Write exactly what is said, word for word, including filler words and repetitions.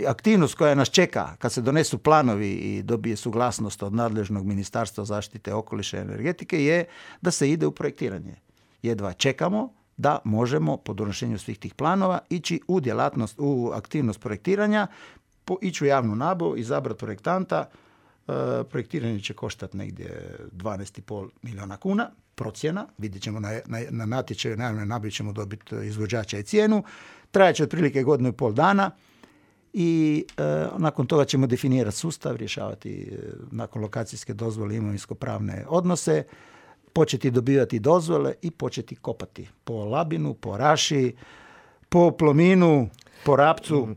aktivnost koja nas čeka kad se donesu planovi i dobije suglasnost od nadležnog Ministarstva zaštite okoliša i energetike je da se ide u projektiranje. Jedva čekamo da možemo po donošenju svih tih planova ići u djelatnost, u aktivnost projektiranja, po, ići u javnu nabavu, izabrati projektanta. E, projektiranje će koštati negdje dvanaest i pol milijuna kuna, procjena, vidjet ćemo na, na, na natječaju, na javnoj nabavi ćemo dobiti izvođača i cijenu, trajeće otprilike godinu i pol dana i e, nakon toga ćemo definirati sustav, rješavati e, nakon lokacijske dozvole imovinsko-pravne odnose, početi dobivati dozvole i početi kopati po Labinu, po Raši, po Plominu, po Rapcu.